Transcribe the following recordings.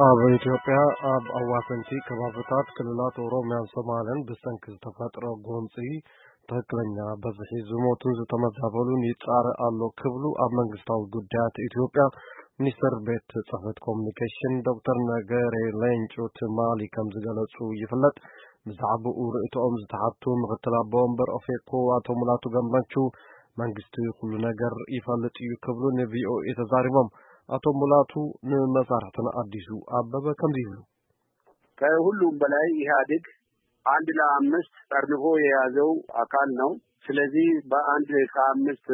ኣብ ኢትዮጵያ ኣብ ኣዋሰንቲ ከባብታት ክልላት ኦሮሚያን ሶማልን ብሰንኪ ዝተፈጥረ ጎንፂ ትኽክለኛ በዝሒ ዝሞቱን ዝተመዛበሉን ይፃረ ኣሎ ክብሉ ኣብ መንግስታዊ ጉዳያት ኢትዮጵያ ሚኒስትር ቤት ጽሕፈት ኮሚኒኬሽን ዶክተር ነገሬ ሌንጮ ትማሊ ከም ዝገለጹ ይፍለጥ። ብዛዕባኡ ርእይቶኦም ዝተሓቱ ምክትል ኣቦ ወንበር ኦፌኮ ኣቶ ሙላቱ ገመቹ መንግስቲ ኩሉ ነገር ይፈልጥ እዩ ክብሉ ን ቪ ኦ ኤ ተዛሪቦም። ኣቶ ሙላቱ ንመሳርሕትና ኣዲሱ ኣበበ ከምዚ ይብሉ። ከሁሉም በላይ ኢህአዴግ አንድ ለአምስት ጠርንፎ የያዘው አካል ነው። ስለዚህ በአንድ ከአምስት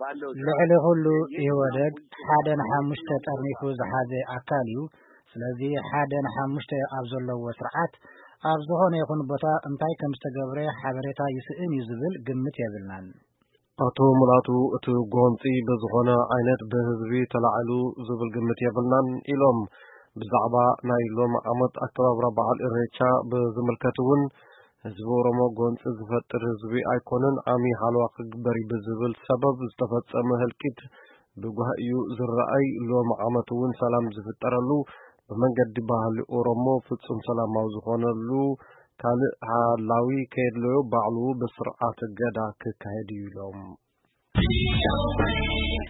ባለው ልዕሊ ኩሉ ኢህወደግ ሓደ ንሓሙሽተ ጠርኒፉ ዝሓዘ ኣካል እዩ። ስለዚ ሓደ ንሓሙሽተ ኣብ ዘለዎ ስርዓት ኣብ ዝኾነ ይኹን ቦታ እንታይ ከም ዝተገብረ ሓበሬታ ይስእን እዩ ዝብል ግምት የብልናን። ኣቶ ሙላቱ እቲ ጎንፂ ብዝኾነ ዓይነት ብህዝቢ ተላዒሉ ዝብል ግምት የብልናን ኢሎም። ብዛዕባ ናይ ሎሚ ዓመት ኣከባብራ በዓል ኢሬቻ ብዝምልከት እውን ህዝቢ ኦሮሞ ጎንፂ ዝፈጥር ህዝቢ ኣይኮነን፣ ዓሚ ሓለዋ ክግበር እዩ ብዝብል ሰበብ ዝተፈጸመ ህልቂት ብጓህ እዩ ዝረኣይ። ሎሚ ዓመት እውን ሰላም ዝፍጠረሉ ብመንገዲ ባህሊ ኦሮሞ ፍጹም ሰላማዊ ዝኾነሉ ካልእ ሓላዊ ከየድለዮ ባዕሉ ብስርዓት ገዳ ክካየድ እዩ ኢሎም።